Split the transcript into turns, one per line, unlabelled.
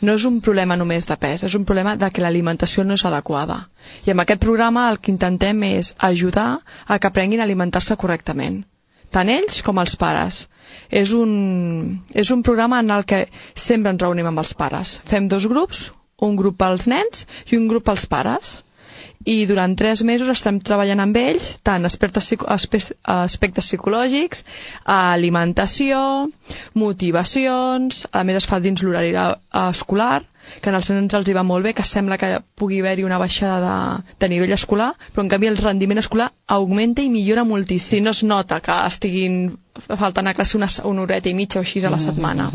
No és un problema només de pes, és un problema de que l'alimentació no és adequada. I amb aquest programa el que intentem és ajudar a que aprenguin a alimentar-se correctament, tant ells com els pares. És un programa en el que sempre ens reunim amb els pares. Fem 2 grups, un grup pels nens i un grup pels pares. I durant 3 mesos estem treballant amb ells tant aspectes psicològics, alimentació, motivacions, a més es fa dins l'horari escolar, que als nens els hi va molt bé, que sembla que pugui haver-hi una baixada de nivell escolar, però en canvi el rendiment escolar augmenta i millora moltíssim. No es nota que estiguin faltant a classe una horeta i mitja o així a la setmana.